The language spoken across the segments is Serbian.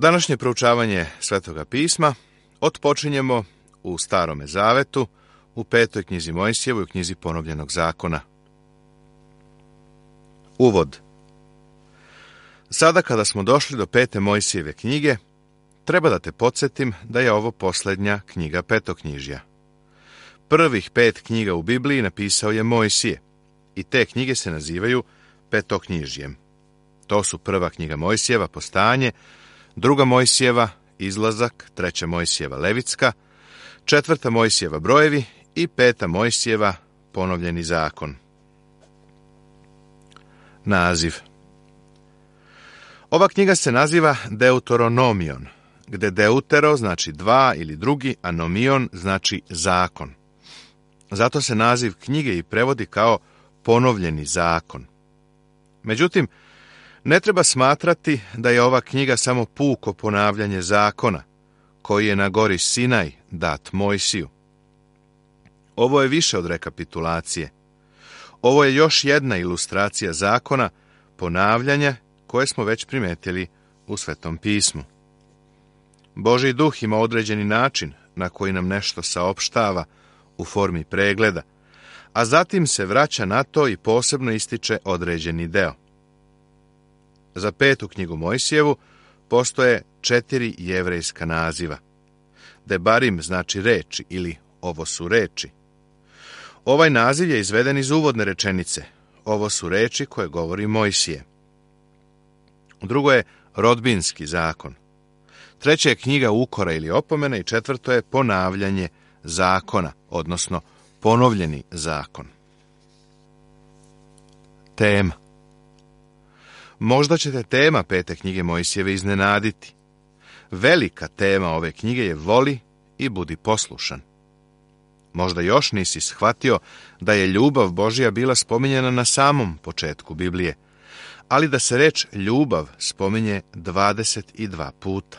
Današnje proučavanje Svetoga pisma otpočinjemo u Starome zavetu, u 5. knjizi Mojsijevoj, u knjizi Ponovljenog zakona. Uvod. Sada kada smo došli do 5. Mojsijeve knjige, treba da te podsjetim da je ovo posljednja knjiga Petoknjižja. Prvih 5 knjiga u Bibliji napisao je Mojsije i te knjige se nazivaju Petoknjižjem. To su prva knjiga Mojsijeva, Postajanje, druga Mojsijeva, Izlazak, treća Mojsijeva, Levitska, četvrta Mojsijeva, Brojevi i 5. Mojsijeva, Ponovljeni zakon. Naziv. Ova knjiga se naziva Deuteronomion, gde deutero znači dva ili drugi, a nomion znači zakon. Zato se naziv knjige i prevodi kao Ponovljeni zakon. Međutim, ne treba smatrati da je ova knjiga samo puko ponavljanje zakona, koji je na gori Sinaj dat Mojsiju. Ovo je više od rekapitulacije. Ovo je još jedna ilustracija zakona, ponavljanja koje smo već primetili u Svetom pismu. Božji duh ima određeni način na koji nam nešto saopštava u formi pregleda, a zatim se vraća na to i posebno ističe određeni deo. Za 5. knjigu Mojsijevu postoje 4 jevrejska naziva. Debarim znači reči ili ovo su reči. Ovaj naziv je izveden iz uvodne rečenice. Ovo su reči koje govori Mojsije. Drugo je rodbinski zakon. Treće je knjiga ukora ili opomena i četvrto je ponavljanje zakona, odnosno ponovljeni zakon. Tema. Možda će te tema 5. knjige Mojsijeve iznenaditi. Velika tema ove knjige je voli i budi poslušan. Možda još nisi shvatio da je ljubav Božja bila spominjena na samom početku Biblije, ali da se reč ljubav spominje 22 puta.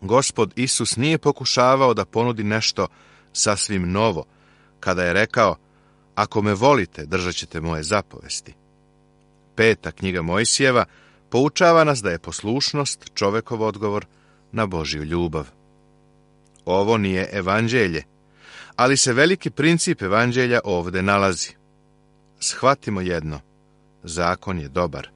Gospod Isus nije pokušavao da ponudi nešto sasvim novo, kada je rekao, ako me volite, držat ćete moje zapovesti. 5. knjiga Mojsijeva poučava nas da je poslušnost čovekov odgovor na Božju ljubav. Ovo nije evanđelje, ali se veliki princip evanđelja ovde nalazi. Shvatimo jedno, zakon je dobar.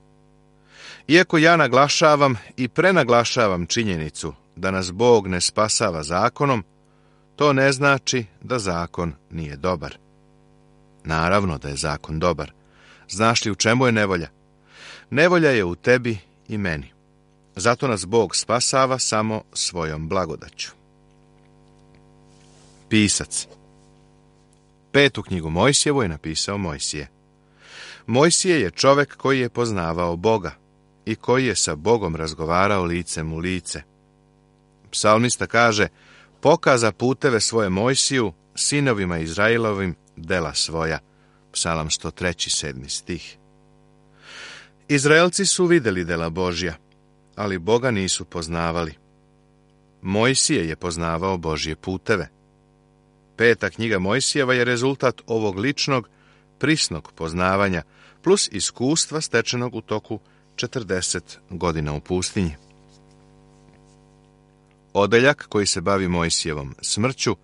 Iako ja naglašavam i prenaglašavam činjenicu da nas Bog ne spasava zakonom, to ne znači da zakon nije dobar. Naravno da je zakon dobar. Znaš li u čemu je nevolja? Nevolja je u tebi i meni. Zato nas Bog spasava samo svojom blagodaću. Pisac. 5. knjigu Mojsijevu je napisao Mojsije. Mojsije je čovek koji je poznavao Boga i koji je sa Bogom razgovarao licem u lice. Psalmista kaže, pokaza puteve svoje Mojsiju, sinovima Izraelovim dela svoja. Psalam 103. 7. stih. Izraelci su videli dela Božja, ali Boga nisu poznavali. Mojsije je poznavao Božje puteve. 5. knjiga Mojsijeva je rezultat ovog ličnog, prisnog poznavanja, plus iskustva stečenog u toku 40 godina u pustinji. Odeljak koji se bavi Mojsijevom smrću,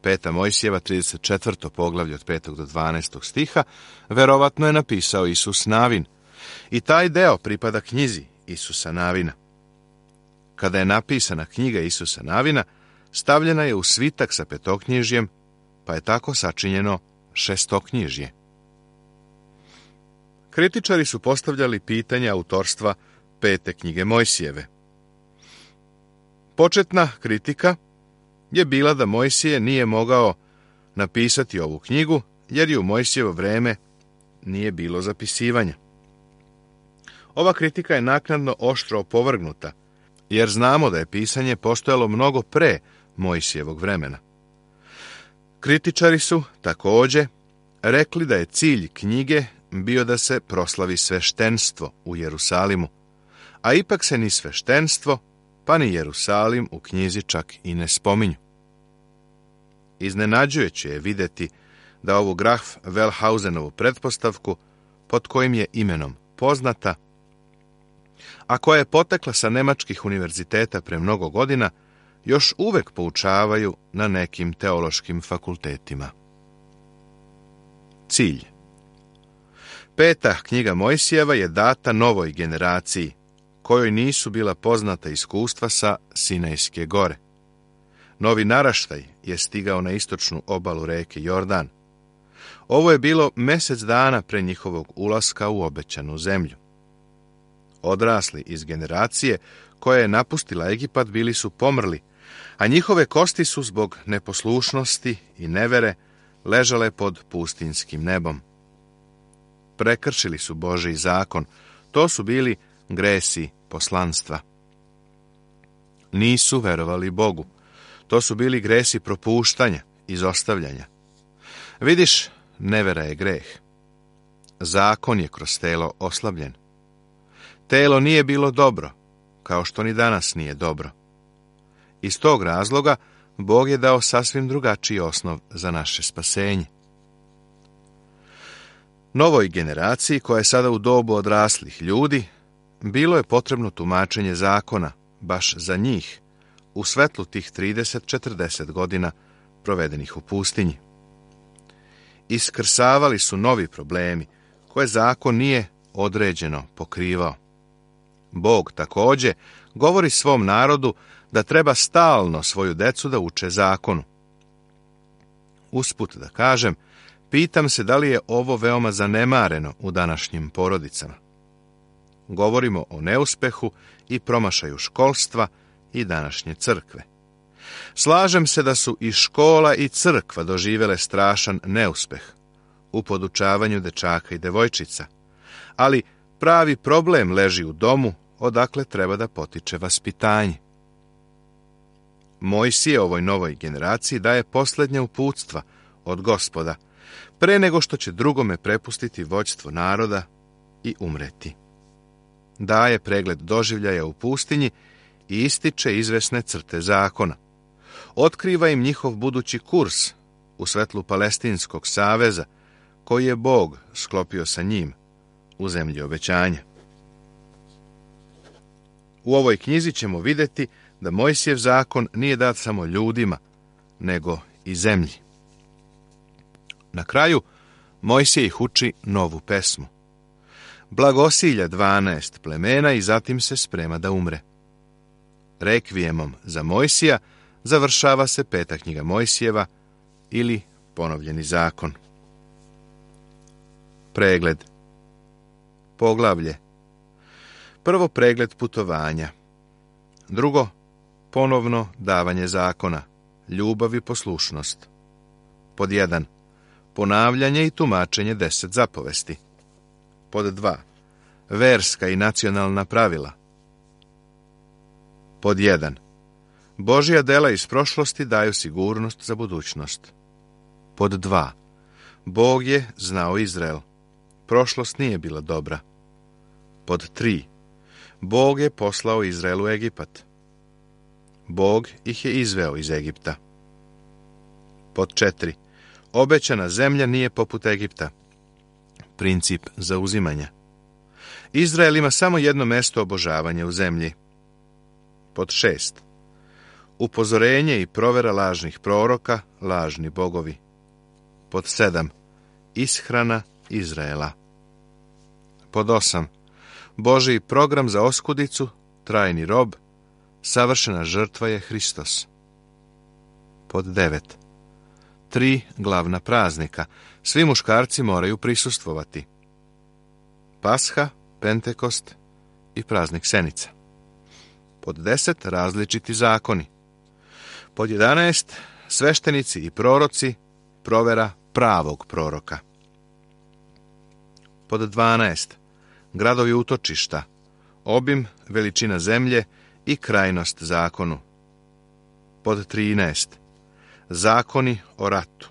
5. Mojsijeva 34. poglavlje od 5. do 12. stiha, verovatno je napisao Isus Navin. I taj deo pripada knjizi Isusa Navina. Kada je napisana knjiga Isusa Navina, stavljena je u svitak sa petoknjižjem, pa je tako sačinjeno šestoknjižje. Kritičari su postavljali pitanje autorstva 5. knjige Mojsijeve. Početna kritika je bila da Mojsije nije mogao napisati ovu knjigu, jer je u Mojsijevo vreme nije bilo zapisivanja. Ova kritika je naknadno oštro opovrgnuta, jer znamo da je pisanje postojalo mnogo pre Mojsijevog vremena. Kritičari su, također, rekli da je cilj knjige bio da se proslavi sveštenstvo u Jerusalimu, a ipak se ni sveštenstvo, pa ni Jerusalim u knjizi čak i ne spominju. Iznenađujuće je vidjeti da ovu Graf Wellhausenovu pretpostavku, pod kojim je imenom poznata, a koja je potekla sa nemačkih univerziteta pre mnogo godina, još uvek poučavaju na nekim teološkim fakultetima. Cilj. 5. knjiga Mojsijeva je data novoj generaciji, kojoj nisu bila poznata iskustva sa Sinajske gore. Novi naraštaj je stigao na istočnu obalu reke Jordan. Ovo je bilo mesec dana pre njihovog ulaska u obećanu zemlju. Odrasli iz generacije koja je napustila Egipat bili su pomrli, a njihove kosti su zbog neposlušnosti i nevere ležale pod pustinskim nebom. Prekršili su Božji zakon, to su bili gresi poslanstva. Nisu verovali Bogu, to su bili gresi propuštanja, izostavljanja. Vidiš, nevera je greh. Zakon je kroz telo oslabljen. Telo nije bilo dobro, kao što ni danas nije dobro. Iz tog razloga Bog je dao sasvim drugačiji osnov za naše spasenje. Novoj generaciji, koja je sada u dobu odraslih ljudi, bilo je potrebno tumačenje zakona, baš za njih, u svetlu tih 30-40 godina provedenih u pustinji. Iskrsavali su novi problemi, koje zakon nije određeno pokrivao. Bog također govori svom narodu da treba stalno svoju decu da uče zakonu. Usput da kažem, pitam se da li je ovo veoma zanemareno u današnjim porodicama. Govorimo o neuspehu i promašaju školstva i današnje crkve. Slažem se da su i škola i crkva doživjele strašan neuspeh u podučavanju dečaka i devojčica, ali pravi problem leži u domu odakle treba da potiče vaspitanje. Mojsije ovoj novoj generaciji daje posljednja uputstva od Gospoda, pre nego što će drugome prepustiti vođstvo naroda i umreti. Daje pregled doživljaja u pustinji i ističe izvesne crte zakona. Otkriva im njihov budući kurs u svetlu Palestinskog saveza, koji je Bog sklopio sa njim u zemlji obećanja. U ovoj knjizi ćemo vidjeti da Mojsijev zakon nije dat samo ljudima, nego i zemlji. Na kraju, Mojsije ih uči novu pesmu. Blagosilja 12 plemena i zatim se sprema da umre. Rekvijemom za Mojsija završava se 5. knjiga Mojsijeva ili ponovljeni zakon. Pregled. Poglavlje. Prvo, pregled putovanja. Drugo, ponovno davanje zakona, ljubav i poslušnost. Pod 1. Ponavljanje i tumačenje 10 zapovesti. Pod 2. Verska i nacionalna pravila. Pod 1. Božja dela iz prošlosti daju sigurnost za budućnost. Pod 2. Bog je znao Izrael. Prošlost nije bila dobra. Pod 3. Bog je poslao Izraelu Egipat. Bog ih je izveo iz Egipta. Pod 4. Obećana zemlja nije poput Egipta. Princip zauzimanja. Izrael ima samo jedno mesto obožavanja u zemlji. Pod 6. Upozorenje i provera lažnih proroka, lažni bogovi. Pod 7. Ishrana Izraela. Pod 8. Božji program za oskudicu, trajni rob, savršena žrtva je Hristos. Pod 9. 3 glavna praznika. Svi muškarci moraju prisustvovati. Pasha, Pentekost i praznik Senica. Pod 10. Različiti zakoni. Pod 11. Sveštenici i proroci, provera pravog proroka. Pod 12. Gradovi utočišta, obim, veličina zemlje i krajnost zakonu. Pod 13. Zakoni o ratu.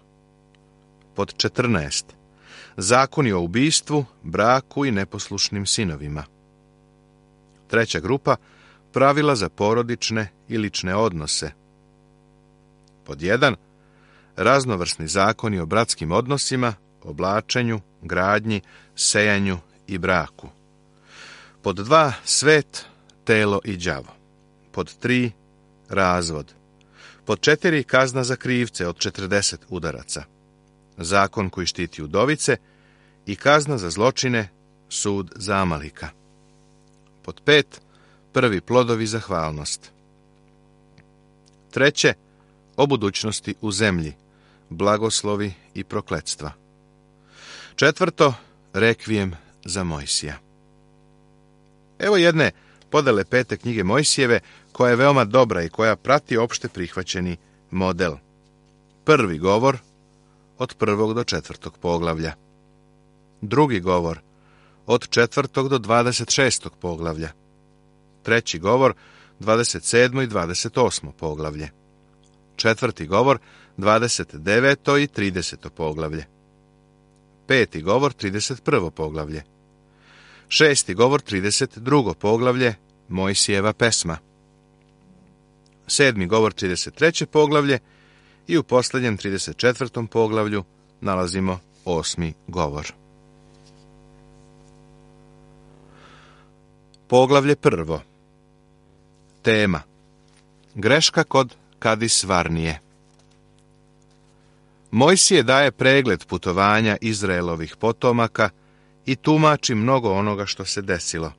Pod 14. Zakoni o ubistvu, braku i neposlušnim sinovima. 3. grupa, pravila za porodične i lične odnose. Pod 1. Raznovrsni zakoni o bratskim odnosima, oblačenju, gradnji, sejanju i braku. Pod 2. Svet, telo i đavo. Pod 3. Razvod. Pod 4. Kazna za krivce od 40 udaraca. Zakon koji štiti udovice i kazna za zločine, sud za Amalika. Pod 5. Prvi plodovi zahvalnost. 3. O budućnosti u zemlji, blagoslovi i prokletstva. 4. Rekvijem za Mojsija. Evo jedne podele 5. knjige Mojsijeve, koja je veoma dobra i koja prati opšte prihvaćeni model. Prvi govor od 1. do 4. poglavlja. Drugi govor od 4. do 26. poglavlja. Treći govor 27. i 28. poglavlje. Četvrti govor 29. i 30. poglavlje. Peti govor 31. poglavlje. Šesti govor 32. poglavlje, Mojsijeva pesma. Sedmi govor 33. poglavlje i u posljednjem 34. poglavlju nalazimo 8. govor. Poglavlje 1. Tema. Greška kod Kadis Varnije. Mojsije daje pregled putovanja Izraelovih potomaka i tumači mnogo onoga što se desilo.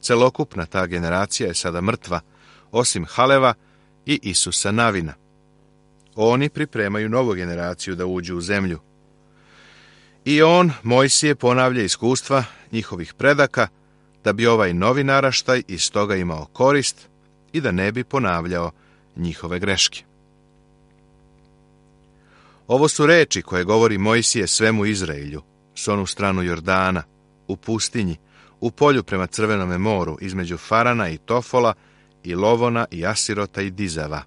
Celokupna ta generacija je sada mrtva, osim Haleva i Isusa Navina. Oni pripremaju novu generaciju da uđu u zemlju. I Mojsije, ponavlja iskustva njihovih predaka, da bi ovaj novi naraštaj iz toga imao korist i da ne bi ponavljao njihove greške. Ovo su reči koje govori Mojsije svemu Izraelju, s onu stranu Jordana, u pustinji, u polju prema Crvenome moru, između Farana i Tofola, i Lovona i Asirota i Dizava.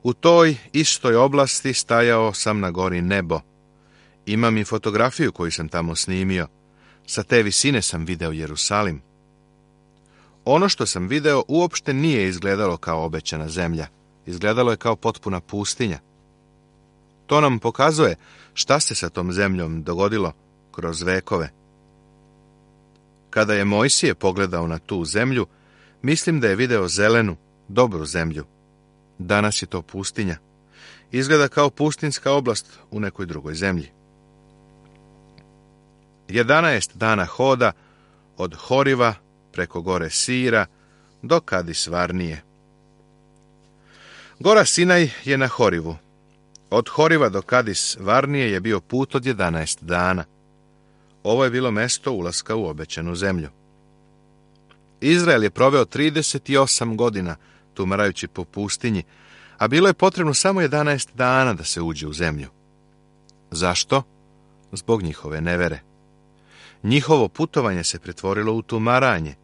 U toj istoj oblasti stajao sam na gori Nebo. Imam i fotografiju koju sam tamo snimio. Sa te visine sam video Jerusalim. Ono što sam video uopšte nije izgledalo kao obećana zemlja. Izgledalo je kao potpuna pustinja. To nam pokazuje šta se sa tom zemljom dogodilo kroz vekove. Kada je Mojsije pogledao na tu zemlju, mislim da je video zelenu, dobru zemlju. Danas je to pustinja. Izgleda kao pustinska oblast u nekoj drugoj zemlji. 11 dana hoda od Horiva preko gore Sira do Kadis Varnije. Gora Sinaj je na Horivu. Od Horiva do Kadis Varnije je bio put od 11 dana. Ovo je bilo mesto ulaska u obećanu zemlju. Izrael je proveo 38 godina tumarajući po pustinji, a bilo je potrebno samo 11 dana da se uđe u zemlju. Zašto? Zbog njihove nevere. Njihovo putovanje se pretvorilo u tumaranje.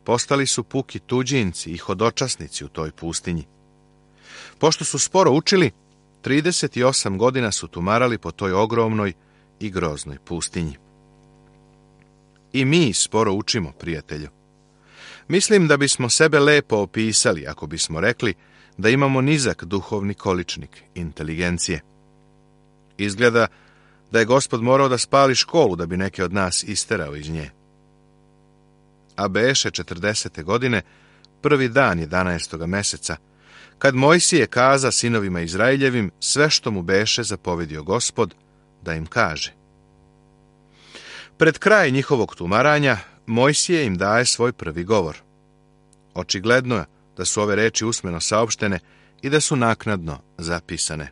Postali su puki tuđinci i hodočasnici u toj pustinji. Pošto su sporo učili, 38 godina su tumarali po toj ogromnoj i groznoj pustinji. I mi sporo učimo, prijatelju. Mislim da bismo sebe lepo opisali ako bismo rekli da imamo nizak duhovni količnik inteligencije. Izgleda da je Gospod morao da spali školu da bi neke od nas isterao iz nje. A beše 40. godine, prvi dan 11. meseca, kad Mojsije kaza sinovima Izraeljevim sve što mu beše zapovedio Gospod da im kaže. Pred kraj njihovog tumaranja, Mojsije im daje svoj prvi govor. Očigledno je da su ove reči usmeno saopštene i da su naknadno zapisane.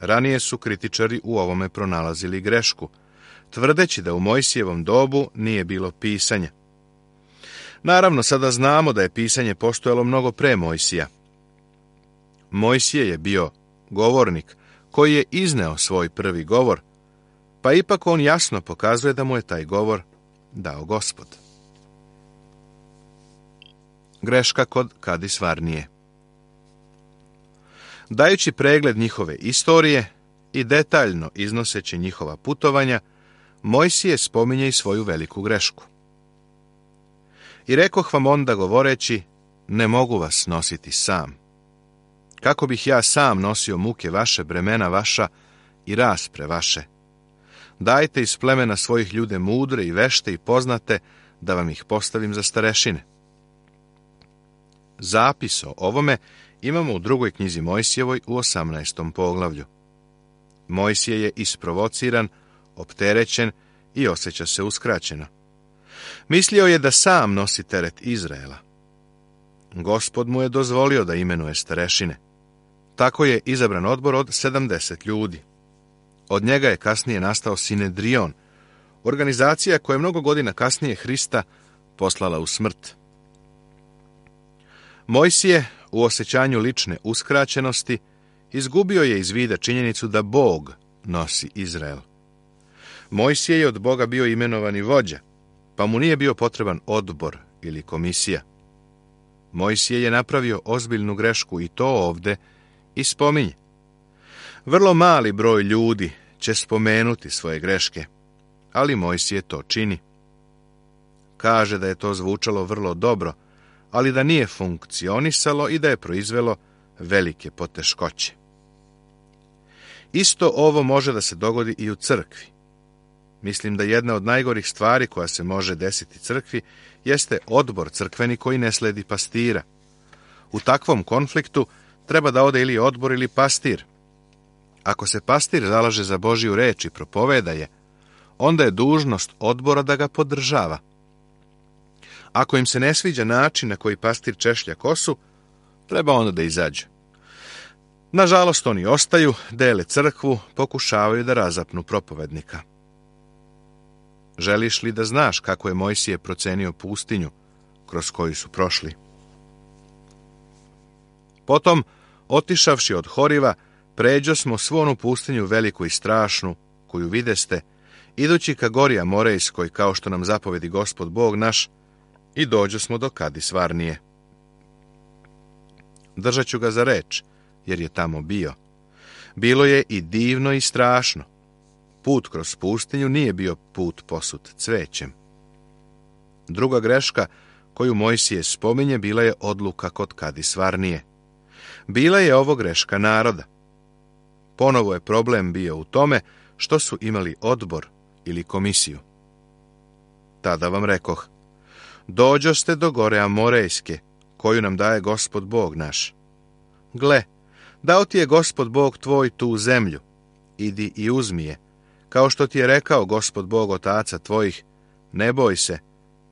Ranije su kritičari u ovome pronalazili grešku, tvrdeći da u Mojsijevom dobu nije bilo pisanja. Naravno, sada znamo da je pisanje postojalo mnogo pre Mojsija. Mojsije je bio govornik koji je izneo svoj prvi govor, pa ipak on jasno pokazuje da mu je taj govor dao Gospod. Greška kod Kadis Varnije. Dajući pregled njihove istorije i detaljno iznoseći njihova putovanja, Mojsije spominje i svoju veliku grešku. I rekoh vam onda govoreći, ne mogu vas nositi sam. Kako bih ja sam nosio muke vaše, bremena vaša i raspre vaše? Dajte iz plemena svojih ljude mudre i vešte i poznate, da vam ih postavim za starešine. Zapis o ovome imamo u 2. knjizi Mojsijevoj u 18. poglavlju. Mojsije je isprovociran, opterećen i osjeća se uskraćeno. Mislio je da sam nosi teret Izraela. Gospod mu je dozvolio da imenuje starešine. Tako je izabran odbor od 70 ljudi. Od njega je kasnije nastao Sinedrion, organizacija koja je mnogo godina kasnije Hrista poslala u smrt. Mojsije, u osjećanju lične uskraćenosti, izgubio je iz vida činjenicu da Bog nosi Izrael. Mojsije je od Boga bio imenovani vođa, pa mu nije bio potreban odbor ili komisija. Mojsije je napravio ozbiljnu grešku i to ovde i spominje. Vrlo mali broj ljudi će spomenuti svoje greške, ali Mojsije to čini. Kaže da je to zvučalo vrlo dobro, ali da nije funkcionisalo i da je proizvelo velike poteškoće. Isto ovo može da se dogodi i u crkvi. Mislim da jedna od najgorih stvari koja se može desiti crkvi jeste odbor crkveni koji ne sledi pastira. U takvom konfliktu treba da ode ili odbor ili pastir. Ako se pastir zalaže za Božju reč i propoveda je, onda je dužnost odbora da ga podržava. Ako im se ne sviđa način na koji pastir češlja kosu, treba onda da izađu. Nažalost, oni ostaju, dele crkvu, pokušavaju da razapnu propovednika. Želiš li da znaš kako je Mojsije procenio pustinju kroz koju su prošli? Potom, otišavši od Horiva, pređosmo svu onu pustinju veliku i strašnu, koju videste, idući ka gori Amorejskoj, kao što nam zapovedi Gospod Bog naš, i dođosmo do Kadis Varnije. Držat ću ga za reč, jer je tamo bio. Bilo je i divno i strašno. Put kroz pustinju nije bio put posut cvećem. Druga greška koju Mojsije spominje bila je odluka kod Kadis Varnije. Bila je ovo greška naroda. Ponovo je problem bio u tome što su imali odbor ili komisiju. Tada vam rekoh, dođoste do gore Amorejske, koju nam daje Gospod Bog naš. Gle, dao ti je Gospod Bog tvoj tu zemlju, idi i uzmi je, kao što ti je rekao Gospod Bog otaca tvojih, ne boj se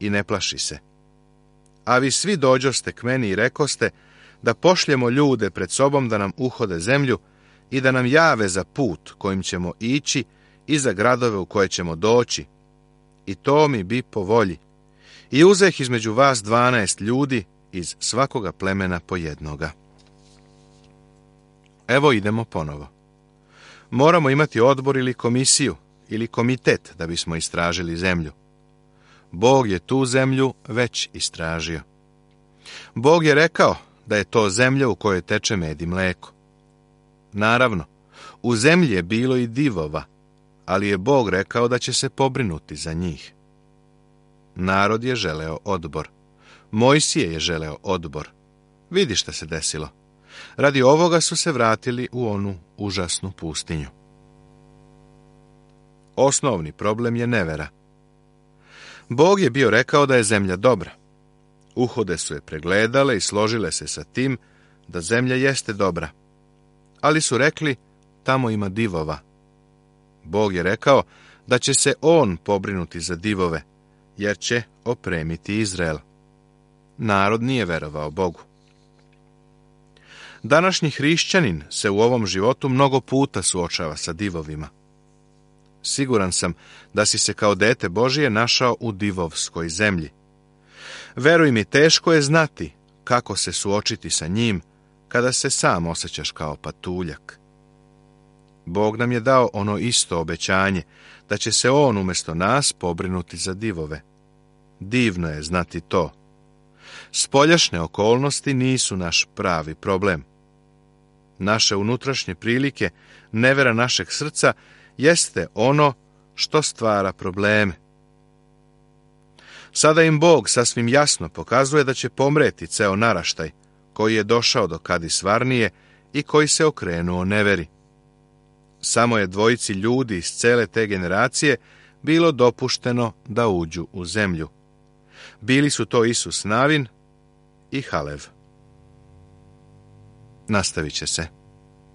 i ne plaši se. A vi svi dođoste k meni i rekoste da pošljemo ljude pred sobom da nam uhode zemlju i da nam jave za put kojim ćemo ići i za gradove u koje ćemo doći. I to mi bi po volji. I uzeh između vas 12 ljudi iz svakoga plemena po jednoga. Evo idemo ponovo. Moramo imati odbor ili komisiju ili komitet da bismo istražili zemlju. Bog je tu zemlju već istražio. Bog je rekao da je to zemlja u kojoj teče med i mleko. Naravno, u zemlji je bilo i divova, ali je Bog rekao da će se pobrinuti za njih. Narod je želeo odbor. Mojsije je želeo odbor. Vidi šta se desilo. Radi ovoga su se vratili u onu užasnu pustinju. Osnovni problem je nevera. Bog je bio rekao da je zemlja dobra. Uhode su je pregledale i složile se sa tim da zemlja jeste dobra. Ali su rekli, tamo ima divova. Bog je rekao da će se on pobrinuti za divove, jer će opremiti Izrael. Narod nije verovao Bogu. Današnji hrišćanin se u ovom životu mnogo puta suočava sa divovima. Siguran sam da si se kao dete Božije našao u divovskoj zemlji. Veruj mi, teško je znati kako se suočiti sa njim kada se sam osjećaš kao patuljak. Bog nam je dao ono isto obećanje, da će se on umjesto nas pobrinuti za divove. Divno je znati to. Spoljašnje okolnosti nisu naš pravi problem. Naše unutrašnje prilike, nevera našeg srca, jeste ono što stvara probleme. Sada im Bog sasvim jasno pokazuje da će pomreti ceo naraštaj koji je došao do Kadis Varnije i koji se okrenuo neveri. samo je dvojici ljudi iz cele te generacije bilo dopušteno da uđu u zemlju. Bili su to Isus Navin i Halev. Nastavit će se.